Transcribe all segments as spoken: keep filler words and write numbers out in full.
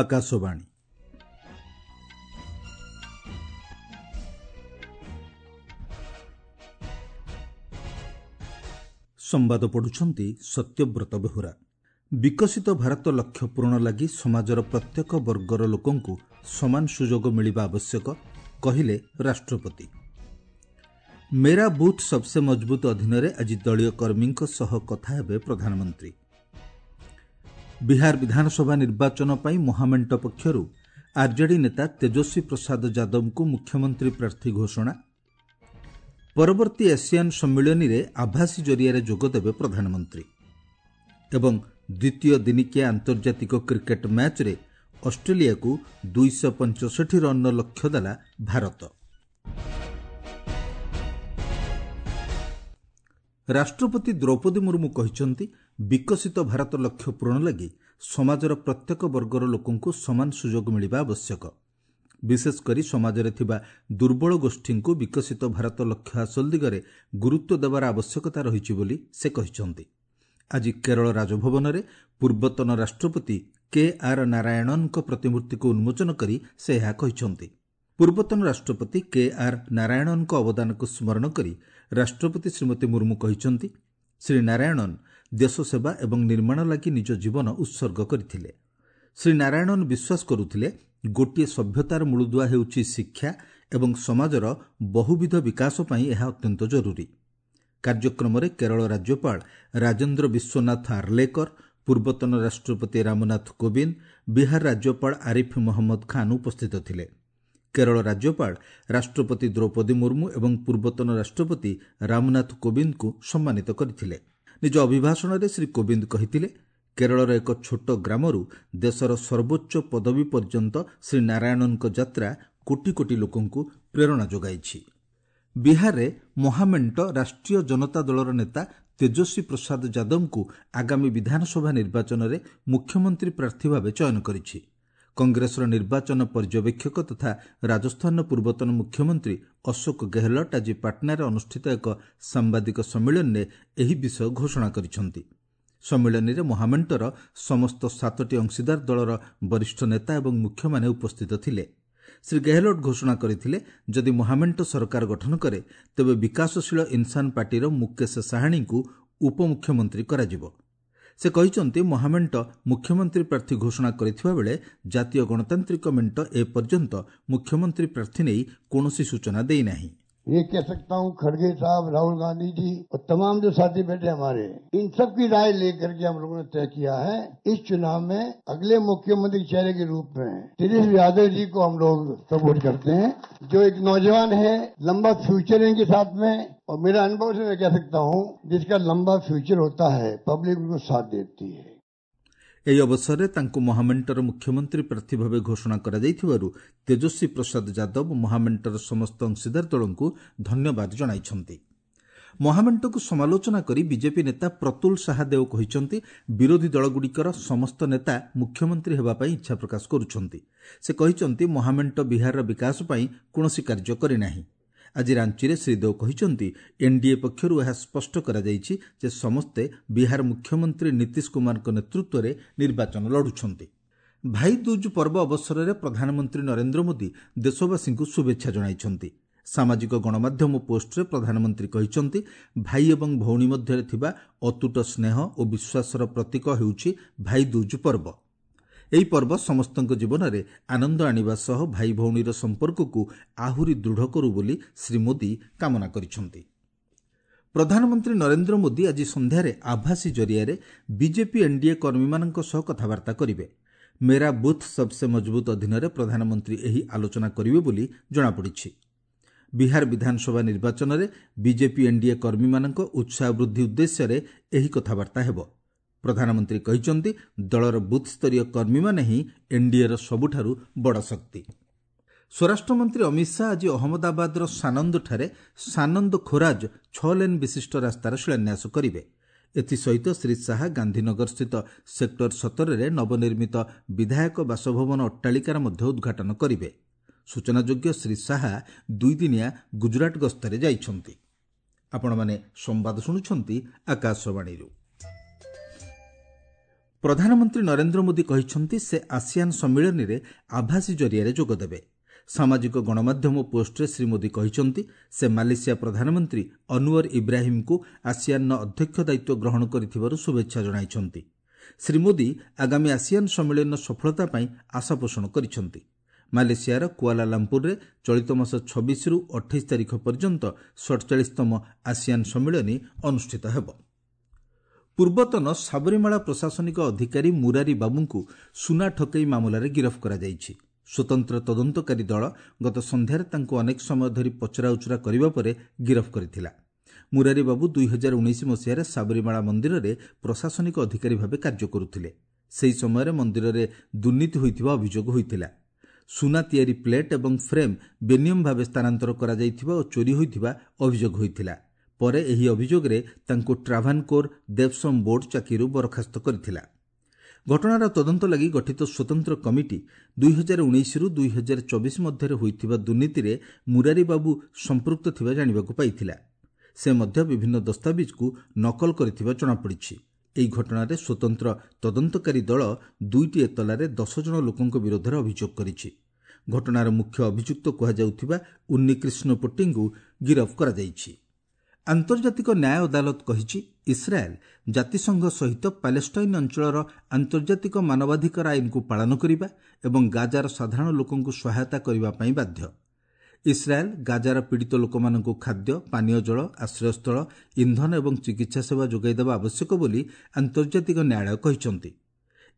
ଆକାଶବାଣୀ। ସମ୍ବାଦ ପଢୁଛନ୍ତି ସତ୍ୟବ୍ରତ ବେହୁରା। ବିକଶିତ ଭାରତ ଲକ୍ଷ୍ୟ ପୂରଣ ଲାଗି ସମାଜର ପ୍ରତ୍ୟେକ ବର୍ଗର ଲୋକଙ୍କୁ ସମାନ ସୁଯୋଗ ମିଳିବା ଆବଶ୍ୟକ, କହିଲେ ରାଷ୍ଟ୍ରପତି। ମେରା ବୁଥ୍ ସବସେ ମଜବୁତ ଅଧୀନରେ ଆଜି ଦଳୀୟ କର୍ମୀଙ୍କ ସହ କଥା ହେବେ ପ୍ରଧାନମନ୍ତ୍ରୀ। ବିହାର ବିଧାନସଭା ନିର୍ବାଚନ ପାଇଁ ମହାମେଣ୍ଟ ପକ୍ଷରୁ ଆର୍ଜେଡି ନେତା ତେଜସ୍ୱୀ ପ୍ରସାଦ ଯାଦବଙ୍କୁ ମୁଖ୍ୟମନ୍ତ୍ରୀ ପ୍ରାର୍ଥୀ ଘୋଷଣା। ପରବର୍ତ୍ତୀ ଆସିଆନ୍ ସମ୍ମିଳନୀରେ ଆଭାସୀ ଜରିଆରେ ଯୋଗଦେବେ ପ୍ରଧାନମନ୍ତ୍ରୀ। ଏବଂ ଦ୍ୱିତୀୟ ଦିନିକିଆ ଆନ୍ତର୍ଜାତିକ କ୍ରିକେଟ୍ ମ୍ୟାଚ୍ରେ ଅଷ୍ଟ୍ରେଲିଆକୁ ଦୁଇଶହ ପଞ୍ଚଷଠି ରନ୍ର ଲକ୍ଷ୍ୟ ଦେଲା ଭାରତ। ରାଷ୍ଟ୍ରପତି ଦ୍ରୌପଦୀ ମୁର୍ମୁ କହିଛନ୍ତି, ବିକଶିତ ଭାରତ ଲକ୍ଷ୍ୟ ପୂରଣ ଲାଗି ସମାଜର ପ୍ରତ୍ୟେକ ବର୍ଗର ଲୋକଙ୍କୁ ସମାନ ସୁଯୋଗ ମିଳିବା ଆବଶ୍ୟକ। ବିଶେଷ କରି ସମାଜରେ ଥିବା ଦୁର୍ବଳ ଗୋଷ୍ଠୀଙ୍କୁ ବିକଶିତ ଭାରତ ଲକ୍ଷ୍ୟ ହାସଲ ଦିଗରେ ଗୁରୁତ୍ୱ ଦେବାର ଆବଶ୍ୟକତା ରହିଛି ବୋଲି ସେ କହିଛନ୍ତି। ଆଜି କେରଳ ରାଜଭବନରେ ପୂର୍ବତନ ରାଷ୍ଟ୍ରପତି କେ ଆର୍ ନାରାୟଣନଙ୍କ ପ୍ରତିମୂର୍ତ୍ତିକୁ ଉନ୍ମୋଚନ କରି ସେ ଏହା କହିଛନ୍ତି। ପୂର୍ବତନ ରାଷ୍ଟ୍ରପତି କେ ଆର୍ ନାରାୟଣନଙ୍କ ଅବଦାନକୁ ସ୍ମରଣ କରି ରାଷ୍ଟ୍ରପତି ଶ୍ରୀମତୀ ମୁର୍ମୁ କହିଛନ୍ତି, ଶ୍ରୀ ନାରାୟଣନ ଦେଶସେବା ଏବଂ ନିର୍ମାଣ ଲାଗି ନିଜ ଜୀବନ ଉତ୍ସର୍ଗ କରିଥିଲେ। ଶ୍ରୀ ନାରାୟଣନ ବିଶ୍ୱାସ କରୁଥିଲେ, ଗୋଟିଏ ସଭ୍ୟତାର ମୂଳଦୁଆ ହେଉଛି ଶିକ୍ଷା ଏବଂ ସମାଜର ବହୁବିଧ ବିକାଶ ପାଇଁ ଏହା ଅତ୍ୟନ୍ତ ଜରୁରୀ। କାର୍ଯ୍ୟକ୍ରମରେ କେରଳ ରାଜ୍ୟପାଳ ରାଜେନ୍ଦ୍ର ବିଶ୍ୱନାଥ ଆର୍ଲେକର, ପୂର୍ବତନ ରାଷ୍ଟ୍ରପତି ରାମନାଥ କୋବିନ୍ଦ, ବିହାର ରାଜ୍ୟପାଳ ଆରିଫ ମହମ୍ମଦ ଖାନ୍ ଉପସ୍ଥିତ ଥିଲେ। କେରଳ ରାଜ୍ୟପାଳ ରାଷ୍ଟ୍ରପତି ଦ୍ରୌପଦୀ ମୁର୍ମୁ ଏବଂ ପୂର୍ବତନ ରାଷ୍ଟ୍ରପତି ରାମନାଥ କୋବିନ୍ଦଙ୍କୁ ସମ୍ମାନିତ କରିଥିଲେ। ନିଜ ଅଭିଭାଷଣରେ ଶ୍ରୀ କୋବିନ୍ଦ କହିଥିଲେ, କେରଳର ଏକ ଛୋଟ ଗ୍ରାମରୁ ଦେଶର ସର୍ବୋଚ୍ଚ ପଦବୀ ପର୍ଯ୍ୟନ୍ତ ଶ୍ରୀ ନାରାୟଣନଙ୍କ ଯାତ୍ରା କୋଟି କୋଟି ଲୋକଙ୍କୁ ପ୍ରେରଣା ଯୋଗାଇଛି। ବିହାରରେ ମହାମେଣ୍ଟ ରାଷ୍ଟ୍ରୀୟ ଜନତା ଦଳର ନେତା ତେଜସ୍ୱୀ ପ୍ରସାଦ ଯାଦବଙ୍କୁ ଆଗାମୀ ବିଧାନସଭା ନିର୍ବାଚନରେ ମୁଖ୍ୟମନ୍ତ୍ରୀ ପ୍ରାର୍ଥୀ ଭାବେ ଚୟନ କରିଛି। କଂଗ୍ରେସର ନିର୍ବାଚନ ପର୍ଯ୍ୟବେକ୍ଷକ ତଥା ରାଜସ୍ଥାନର ପୂର୍ବତନ ମୁଖ୍ୟମନ୍ତ୍ରୀ ଅଶୋକ ଗେହଲଟ ଆଜି ପାଟନାରେ ଅନୁଷ୍ଠିତ ଏକ ସାମ୍ବାଦିକ ସମ୍ମିଳନୀରେ ଏହି ବିଷୟ ଘୋଷଣା କରିଛନ୍ତି। ସମ୍ମିଳନୀରେ ମହାମେଣ୍ଟର ସମସ୍ତ ସାତଟି ଅଂଶୀଦାର ଦଳର ବରିଷ୍ଠ ନେତା ଏବଂ ମୁଖ୍ୟମାନେ ଉପସ୍ଥିତ ଥିଲେ। ଶ୍ରୀ ଗେହଲଟ ଘୋଷଣା କରିଥିଲେ, ଯଦି ମହାମେଣ୍ଟ ସରକାର ଗଠନ କରେ ତେବେ ବିକାଶଶୀଳ ଇନ୍ସାନ ପାର୍ଟିର ମୁକେଶ ସାହାଣୀଙ୍କୁ ଉପମୁଖ୍ୟମନ୍ତ୍ରୀ କରାଯିବ। ସେ କହିଛନ୍ତି, ମହାମେଣ୍ଟ ମୁଖ୍ୟମନ୍ତ୍ରୀ ପ୍ରାର୍ଥୀ ଘୋଷଣା କରିଥିବା ବେଳେ ଜାତୀୟ ଗଣତାନ୍ତ୍ରିକ ମେଣ୍ଟ ଏପର୍ଯ୍ୟନ୍ତ ମୁଖ୍ୟମନ୍ତ୍ରୀ ପ୍ରାର୍ଥୀ ନେଇ କୌଣସି ସୂଚନା ଦେଇନାହିଁ। ये कह सकता हूँ, खड़गे साहब, राहुल गांधी जी और तमाम जो साथी बैठे हमारे, इन सब की राय लेकर के हम लोगों ने तय किया है, इस चुनाव में अगले मुख्यमंत्री चेहरे के रूप में तेजस्वी यादव जी को हम लोग सपोर्ट करते हैं, जो एक नौजवान है, लंबा फ्यूचर है इनके साथ में। और मेरा अनुभव से मैं कह सकता हूँ, जिसका लंबा फ्यूचर होता है पब्लिक उनको साथ देती है। ଏହି ଅବସରରେ ତାଙ୍କୁ ମହାମେଣ୍ଟର ମୁଖ୍ୟମନ୍ତ୍ରୀ ପ୍ରାର୍ଥୀ ଭାବେ ଘୋଷଣା କରାଯାଇଥିବାରୁ ତେଜସ୍ୱୀ ପ୍ରସାଦ ଯାଦବ ମହାମେଣ୍ଟର ସମସ୍ତ ଅଂଶୀଦାର ଦଳଙ୍କୁ ଧନ୍ୟବାଦ ଜଣାଇଛନ୍ତି। ମହାମେଣ୍ଟକୁ ସମାଲୋଚନା କରି ବିଜେପି ନେତା ପ୍ରତୁଲ ସାହାଦେଓ କହିଛନ୍ତି, ବିରୋଧୀ ଦଳଗୁଡ଼ିକର ସମସ୍ତ ନେତା ମୁଖ୍ୟମନ୍ତ୍ରୀ ହେବା ପାଇଁ ଇଚ୍ଛା ପ୍ରକାଶ କରୁଛନ୍ତି। ସେ କହିଛନ୍ତି, ମହାମେଣ୍ଟ ବିହାରର ବିକାଶ ପାଇଁ କୌଣସି କାର୍ଯ୍ୟ କରିନାହିଁ। ଆଜି ରାଞ୍ଚିରେ ଶ୍ରୀ ଦେଓ କହିଛନ୍ତି, ଏନ୍ଡିଏ ପକ୍ଷରୁ ଏହା ସ୍ପଷ୍ଟ କରାଯାଇଛି ଯେ ସମସ୍ତେ ବିହାର ମୁଖ୍ୟମନ୍ତ୍ରୀ ନୀତିଶ କୁମାରଙ୍କ ନେତୃତ୍ୱରେ ନିର୍ବାଚନ ଲଢୁଛନ୍ତି। ଭାଇ ଦୁଜ୍ ପର୍ବ ଅବସରରେ ପ୍ରଧାନମନ୍ତ୍ରୀ ନରେନ୍ଦ୍ର ମୋଦି ଦେଶବାସୀଙ୍କୁ ଶୁଭେଚ୍ଛା ଜଣାଇଛନ୍ତି। ସାମାଜିକ ଗଣମାଧ୍ୟମ ପୋଷ୍ଟରେ ପ୍ରଧାନମନ୍ତ୍ରୀ କହିଛନ୍ତି, ଭାଇ ଏବଂ ଭଉଣୀ ମଧ୍ୟରେ ଥିବା ଅତୁଟ ସ୍ନେହ ଓ ବିଶ୍ୱାସର ପ୍ରତୀକ ହେଉଛି ଭାଇ ଦୁଜ୍ ପର୍ବ। ଏହି ପର୍ବ ସମସ୍ତଙ୍କ ଜୀବନରେ ଆନନ୍ଦ ଆଣିବା ସହ ଭାଇ ଭଉଣୀର ସମ୍ପର୍କକୁ ଆହୁରି ଦୃଢ଼ କରୁ ବୋଲି ଶ୍ରୀ ମୋଦି କାମନା କରିଛନ୍ତି। ପ୍ରଧାନମନ୍ତ୍ରୀ ନରେନ୍ଦ୍ର ମୋଦି ଆଜି ସନ୍ଧ୍ୟାରେ ଆଭାସୀ ଜରିଆରେ ବିଜେପି ଏନ୍ଡିଏ କର୍ମୀମାନଙ୍କ ସହ କଥାବାର୍ତ୍ତା କରିବେ। ମେରା ବୁଥ୍ ସବସେ ମଜବୁତ ଅଧୀନରେ ପ୍ରଧାନମନ୍ତ୍ରୀ ଏହି ଆଲୋଚନା କରିବେ ବୋଲି ଜଣାପଡ଼ିଛି। ବିହାର ବିଧାନସଭା ନିର୍ବାଚନରେ ବିଜେପି ଏନ୍ଡିଏ କର୍ମୀମାନଙ୍କ ଉତ୍ସାହ ବୃଦ୍ଧି ଉଦ୍ଦେଶ୍ୟରେ ଏହି କଥାବାର୍ତ୍ତା ହେବ। ପ୍ରଧାନମନ୍ତ୍ରୀ କହିଛନ୍ତି, ଦଳର ବୁଥ୍ସ୍ତରୀୟ କର୍ମୀମାନେ ହିଁ ଏନ୍ଡିଏର ସବୁଠାରୁ ବଡ଼ ଶକ୍ତି। ସ୍ୱରାଷ୍ଟ୍ରମନ୍ତ୍ରୀ ଅମିତ ଶାହା ଆଜି ଅହମ୍ମଦାବାଦର ସାନନ୍ଦଠାରେ ସାନନ୍ଦ ଖୋରାଜ ଛଅ ଲେନ୍ ବିଶିଷ୍ଟ ରାସ୍ତାର ଶିଳାନ୍ୟାସ କରିବେ। ଏଥିସହିତ ଶ୍ରୀ ଶାହା ଗାନ୍ଧୀନଗରସ୍ଥିତ ସେକ୍ଟର ସତରରେ ନବନିର୍ମିତ ବିଧାୟକ ବାସଭବନ ଅଟ୍ଟାଳିକାର ମଧ୍ୟ ଉଦ୍ଘାଟନ କରିବେ। ସୂଚନାଯୋଗ୍ୟ, ଶ୍ରୀ ଶାହା ଦୁଇଦିନିଆ ଗୁଜରାଟ ଗସ୍ତରେ ଯାଇଛନ୍ତି। ଆପଣମାନେ ସମ୍ବାଦ ଶୁଣୁଛନ୍ତି ଆକାଶବାଣୀରୁ। ପ୍ରଧାନମନ୍ତ୍ରୀ ନରେନ୍ଦ୍ର ମୋଦି କହିଛନ୍ତି, ସେ ଆସିଆନ୍ ସମ୍ମିଳନୀରେ ଆଭାସୀ ଜରିଆରେ ଯୋଗଦେବେ। ସାମାଜିକ ଗଣମାଧ୍ୟମ ପୋଷ୍ଟରେ ଶ୍ରୀ ମୋଦି କହିଛନ୍ତି, ସେ ମାଲେସିଆ ପ୍ରଧାନମନ୍ତ୍ରୀ ଅନୱର ଇବ୍ରାହିମ୍ଙ୍କୁ ଆସିଆନ୍ର ଅଧ୍ୟକ୍ଷ ଦାୟିତ୍ୱ ଗ୍ରହଣ କରିଥିବାରୁ ଶୁଭେଚ୍ଛା ଜଣାଇଛନ୍ତି। ଶ୍ରୀ ମୋଦି ଆଗାମୀ ଆସିଆନ୍ ସମ୍ମିଳନୀର ସଫଳତା ପାଇଁ ଆଶା ପୋଷଣ କରିଛନ୍ତି। ମାଲେସିଆର କୁଆଲାଲାମ୍ପୁରରେ ଚଳିତ ମାସ ଛବିଶରୁ ଅଠେଇଶ ତାରିଖ ପର୍ଯ୍ୟନ୍ତ ସଡ଼ଚାଳିଶତମ ଆସିଆନ୍ ସମ୍ମିଳନୀ ଅନୁଷ୍ଠିତ ହେବ। ପୂର୍ବତନ ସାବରିମାଳା ପ୍ରଶାସନିକ ଅଧିକାରୀ ମୁରାରୀ ବାବୁଙ୍କୁ ସୁନା ଠକେଇ ମାମଲାରେ ଗିରଫ କରାଯାଇଛି। ସ୍ୱତନ୍ତ୍ର ତଦନ୍ତକାରୀ ଦଳ ଗତ ସନ୍ଧ୍ୟାରେ ତାଙ୍କୁ ଅନେକ ସମୟ ଧରି ପଚରାଉଚରା କରିବା ପରେ ଗିରଫ କରିଥିଲା। ମୁରାରୀ ବାବୁ ଦୁଇ ହଜାର ଉଣେଇଶ ମସିହାରେ ସାବରିମାଳା ମନ୍ଦିରରେ ପ୍ରଶାସନିକ ଅଧିକାରୀ ଭାବେ କାର୍ଯ୍ୟ କରୁଥିଲେ। ସେହି ସମୟରେ ମନ୍ଦିରରେ ଦୁର୍ନୀତି ହୋଇଥିବା ଅଭିଯୋଗ ହୋଇଥିଲା। ସୁନା ତିଆରି ପ୍ଲେଟ୍ ଏବଂ ଫ୍ରେମ୍ ବେନିୟମ ଭାବେ ସ୍ଥାନାନ୍ତର କରାଯାଇଥିବା ଓ ଚୋରି ହୋଇଥିବା ଅଭିଯୋଗ ହୋଇଥିଲା। ପରେ ଏହି ଅଭିଯୋଗରେ ତାଙ୍କୁ ଟ୍ରାଭାନକୋର ଦେବସମ୍ ବୋର୍ଡ ଚାକିରିରୁ ବରଖାସ୍ତ କରିଥିଲା। ଘଟଣାର ତଦନ୍ତ ଲାଗି ଗଠିତ ସ୍ୱତନ୍ତ୍ର କମିଟି ଦୁଇ ହଜାର ଉଣେଇଶରୁ ଦୁଇ ହଜାର ଚବିଶ ମଧ୍ୟରେ ହୋଇଥିବା ଦୁର୍ନୀତିରେ ମୁରାରୀ ବାବୁ ସମ୍ପୃକ୍ତ ଥିବା ଜାଣିବାକୁ ପାଇଥିଲା। ସେ ମଧ୍ୟ ବିଭିନ୍ନ ଦସ୍ତାବିଜକୁ ନକଲ କରିଥିବା ଜଣାପଡ଼ିଛି। ଏହି ଘଟଣାରେ ସ୍ୱତନ୍ତ୍ର ତଦନ୍ତକାରୀ ଦଳ ଦୁଇଟି ଏତଲାରେ ଦଶ ଜଣ ଲୋକଙ୍କ ବିରୋଧରେ ଅଭିଯୋଗ କରିଛି। ଘଟଣାର ମୁଖ୍ୟ ଅଭିଯୁକ୍ତ କୁହାଯାଉଥିବା ଉନ୍ନିକ୍ରିଷ୍ଣ ପୋଟ୍ଟିଙ୍କୁ ଗିରଫ କରାଯାଇଛି। ଆନ୍ତର୍ଜାତିକ ନ୍ୟାୟ ଅଦାଲତ କହିଛି, ଇସ୍ରାଏଲ୍ ଜାତିସଂଘ ସହିତ ପାଲେଷ୍ଟାଇନ୍ ଅଞ୍ଚଳର ଆନ୍ତର୍ଜାତିକ ମାନବାଧିକାର ଆଇନକୁ ପାଳନ କରିବା ଏବଂ ଗାଜାର ସାଧାରଣ ଲୋକଙ୍କୁ ସହାୟତା କରିବା ପାଇଁ ବାଧ୍ୟ। ଇସ୍ରାଏଲ୍ ଗାଜାର ପୀଡ଼ିତ ଲୋକମାନଙ୍କୁ ଖାଦ୍ୟ, ପାନୀୟ ଜଳ, ଆଶ୍ରୟସ୍ଥଳ, ଇନ୍ଧନ ଏବଂ ଚିକିତ୍ସା ସେବା ଯୋଗାଇ ଦେବା ଆବଶ୍ୟକ ବୋଲି ଆନ୍ତର୍ଜାତିକ ନ୍ୟାୟାଳୟ କହିଛନ୍ତି।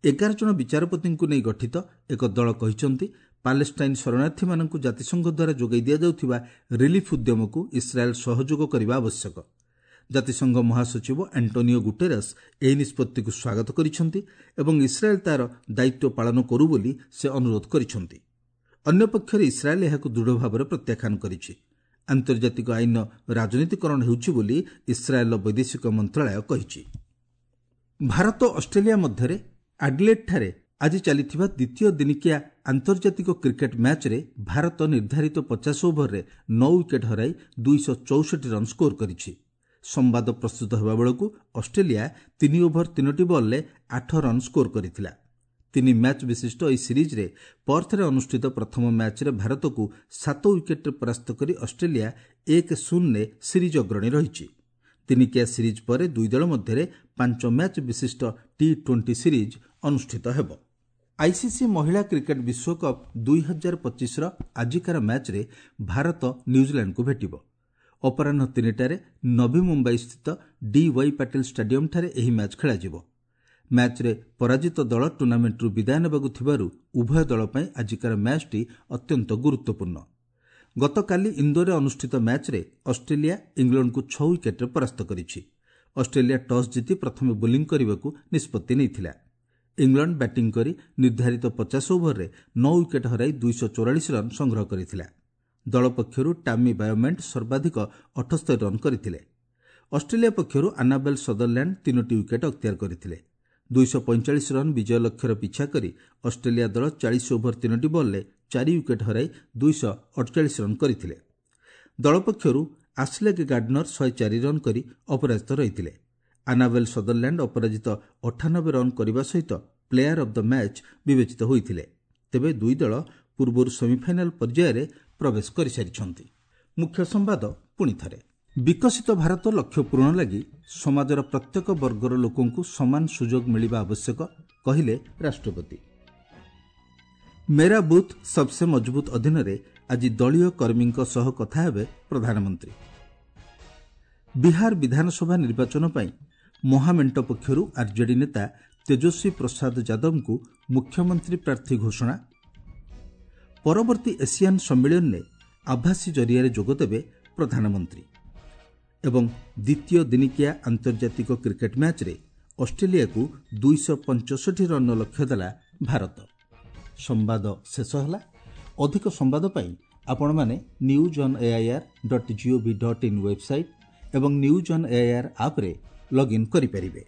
ଏଗାର ଜଣ ବିଚାରପତିଙ୍କୁ ନେଇ ଗଠିତ ଏକ ଦଳ କହିଛନ୍ତି, ପାଲେଷ୍ଟାଇନ୍ ଶରଣାର୍ଥୀମାନଙ୍କୁ ଜାତିସଂଘ ଦ୍ୱାରା ଯୋଗାଇ ଦିଆଯାଉଥିବା ରିଲିଫ୍ ଉଦ୍ୟମକୁ ଇସ୍ରାଏଲ୍ ସହଯୋଗ କରିବା ଆବଶ୍ୟକ। ଜାତିସଂଘ ମହାସଚିବ ଆଣ୍ଟୋନିଓ ଗୁଟେରସ୍ ଏହି ନିଷ୍ପତ୍ତିକୁ ସ୍ୱାଗତ କରିଛନ୍ତି ଏବଂ ଇସ୍ରାଏଲ୍ ତା'ର ଦାୟିତ୍ୱ ପାଳନ କରୁ ବୋଲି ସେ ଅନୁରୋଧ କରିଛନ୍ତି। ଅନ୍ୟପକ୍ଷରେ ଇସ୍ରାଏଲ୍ ଏହାକୁ ଦୃଢ଼ ଭାବରେ ପ୍ରତ୍ୟାଖ୍ୟାନ କରିଛି। ଆନ୍ତର୍ଜାତିକ ଆଇନର ରାଜନୀତିକରଣ ହେଉଛି ବୋଲି ଇସ୍ରାଏଲ୍ର ବୈଦେଶିକ ମନ୍ତ୍ରଣାଳୟ କହିଛି। ଭାରତ ଅଷ୍ଟ୍ରେଲିଆ ମଧ୍ୟରେ ଆଡିଲେଡ୍ଠାରେ ଆଜି ଚାଲିଥିବା ଦ୍ୱିତୀୟ ଦିନିକିଆ ଆନ୍ତର୍ଜାତିକ କ୍ରିକେଟ୍ ମ୍ୟାଚ୍ରେ ଭାରତ ନିର୍ଦ୍ଧାରିତ ପଚାଶ ଓଭରରେ ନଅ ୱିକେଟ୍ ହରାଇ ଦୁଇଶହ ଚଉଷଠି ରନ୍ ସ୍କୋର କରିଛି। ସମ୍ବାଦ ପ୍ରସ୍ତୁତ ହେବା ବେଳକୁ ଅଷ୍ଟ୍ରେଲିଆ ତିନି ଓଭର ତିନୋଟି ବଲ୍ରେ ଆଠ ରନ୍ ସ୍କୋର କରିଥିଲା। ତିନି ମ୍ୟାଚ୍ ବିଶିଷ୍ଟ ଏହି ସିରିଜ୍ରେ ପର୍ଥରେ ଅନୁଷ୍ଠିତ ପ୍ରଥମ ମ୍ୟାଚ୍ରେ ଭାରତକୁ ସାତ ୱିକେଟ୍ରେ ପରାସ୍ତ କରି ଅଷ୍ଟ୍ରେଲିଆ ଏକ ଶୂନରେ ସିରିଜ୍ ଅଗ୍ରଣୀ ରହିଛି। ଦିନିକିଆ ସିରିଜ୍ ପରେ ଦୁଇ ଦଳ ମଧ୍ୟରେ ପାଞ୍ଚ ମ୍ୟାଚ୍ ବିଶିଷ୍ଟ ଟି ଟ୍ୱେଣ୍ଟି ସିରିଜ୍ ଅନୁଷ୍ଠିତ ହେବ। ଆଇସିସି ମହିଳା କ୍ରିକେଟ୍ ବିଶ୍ୱକପ୍ ଦୁଇ ହଜାର ପଚିଶର ଆଜିକାର ମ୍ୟାଚ୍ରେ ଭାରତ ନ୍ୟୁଜିଲାଣ୍ଡକୁ ଭେଟିବ। ଅପରାହ୍ନ ତିନିଟାରେ ନଭି ମୁମ୍ବାଇସ୍ଥିତ ଡି ୱାଇ ପାଟିଲ ଷ୍ଟାଡିୟମ୍ଠାରେ ଏହି ମ୍ୟାଚ୍ ଖେଳାଯିବ। ମ୍ୟାଚ୍ରେ ପରାଜିତ ଦଳ ଟୁର୍ଣ୍ଣାମେଣ୍ଟରୁ ବିଦାୟ ନେବାକୁ ଥିବାରୁ ଉଭୟ ଦଳ ପାଇଁ ଆଜିକାର ମ୍ୟାଚ୍ଟି ଅତ୍ୟନ୍ତ ଗୁରୁତ୍ୱପୂର୍ଣ୍ଣ। ଗତକାଲି ଇନ୍ଦୋରରେ ଅନୁଷ୍ଠିତ ମ୍ୟାଚ୍ରେ ଅଷ୍ଟ୍ରେଲିଆ ଇଂଲଣ୍ଡକୁ ଛଅ ୱିକେଟ୍ରେ ପରାସ୍ତ କରିଛି। ଅଷ୍ଟ୍ରେଲିଆ ଟସ୍ ଜିତି ପ୍ରଥମେ ବୋଲିଂ କରିବାକୁ ନିଷ୍ପତ୍ତି ନେଇଥିଲା। ଇଂଲଣ୍ଡ ବ୍ୟାଟିଂ କରି ନିର୍ଦ୍ଧାରିତ ପଚାଶ ଓଭରରେ ନଅ ୱିକେଟ୍ ହରାଇ ଦୁଇଶହ ଚଉରାଳିଶ ରନ୍ ସଂଗ୍ରହ କରିଥିଲା। ଦଳ ପକ୍ଷରୁ ଟାମି ବାୟୋମେଣ୍ଟ ସର୍ବାଧିକ ଅଠସ୍ତରୀ ରନ୍ କରିଥିଲେ। ଅଷ୍ଟ୍ରେଲିଆ ପକ୍ଷରୁ ଆନାବେଲ୍ ସଦରଲ୍ୟାଣ୍ଡ ତିନୋଟି ୱିକେଟ୍ ଅକ୍ତିଆର କରିଥିଲେ। ଦୁଇଶହ ପଇଁଚାଳିଶ ରନ୍ ବିଜୟ ଲକ୍ଷ୍ୟର ପିଛା କରି ଅଷ୍ଟ୍ରେଲିଆ ଦଳ ଚାଳିଶ ଓଭର ତିନୋଟି ବଲ୍ରେ ଚାରି ୱିକେଟ୍ ହରାଇ ଦୁଇଶହ ଅଠଚାଳିଶ ରନ୍ କରିଥିଲେ। ଦଳ ପକ୍ଷରୁ ଆସ୍ଲେଗ୍ ଗାର୍ଡନର ଶହେ ଚାରି ରନ୍ କରି ଅପରାଜିତ ରହିଥିଲେ। ଆନାବେଲ୍ ସଦରଲ୍ୟାଣ୍ଡ ଅପରାଜିତ ଅଠାନବେ ରନ୍ କରିବା ସହିତ ପ୍ଲେୟାର ଅଫ୍ the match ବିବେଚିତ ହୋଇଥିଲେ। ତେବେ ଦୁଇ ଦଳ ପୂର୍ବରୁ ସେମିଫାଇନାଲ୍ ପର୍ଯ୍ୟାୟରେ ପ୍ରବେଶ କରିସାରିଛନ୍ତି। ମୁଖ୍ୟ ସମ୍ବାଦ ପୁଣି ଥରେ, ବିକଶିତ ଭାରତ ଲକ୍ଷ୍ୟ ପୂରଣ ଲାଗି ସମାଜର ପ୍ରତ୍ୟେକ ବର୍ଗର ଲୋକଙ୍କୁ ସମାନ ସୁଯୋଗ ମିଳିବା ଆବଶ୍ୟକ, କହିଲେ ରାଷ୍ଟ୍ରପତି। ମେରା ବୁଥ୍ ସବସେ ମଜବୁତ ଅଧୀନରେ ଆଜି ଦଳୀୟ କର୍ମୀଙ୍କ ସହ କଥା ହେବେ ପ୍ରଧାନମନ୍ତ୍ରୀ। ବିହାର ବିଧାନସଭା ନିର୍ବାଚନ ପାଇଁ ମହାମେଣ୍ଟ ପକ୍ଷରୁ ଆର୍ଜେଡି ନେତା ତେଜସ୍ୱୀ ପ୍ରସାଦ ଯାଦବଙ୍କୁ ମୁଖ୍ୟମନ୍ତ୍ରୀ ପ୍ରାର୍ଥୀ ଘୋଷଣା। ପରବର୍ତ୍ତୀ ଏସିଆନ୍ ସମ୍ମିଳନୀରେ ଆଭାସୀ ଜରିଆରେ ଯୋଗଦେବେ ପ୍ରଧାନମନ୍ତ୍ରୀ। ଏବଂ ଦ୍ୱିତୀୟ ଦିନିକିଆ ଆନ୍ତର୍ଜାତିକ କ୍ରିକେଟ୍ ମ୍ୟାଚ୍ରେ ଅଷ୍ଟ୍ରେଲିଆକୁ ଦୁଇଶହ ପଞ୍ଚଷଠି ରନ୍ର ଲକ୍ଷ୍ୟ ଦେଲା ଭାରତ। ସମ୍ବାଦ ଶେଷ ହେଲା। ଅଧିକ ସମ୍ବାଦ ପାଇଁ ଆପଣମାନେ news on AIR dot gov dot in website ଏବଂ ନ୍ୟୁଜ୍ ଅନ୍ ଏଆଇଆର୍ ଆପ୍ରେ ଲଗ୍ଇନ୍ କରିପାରିବେ।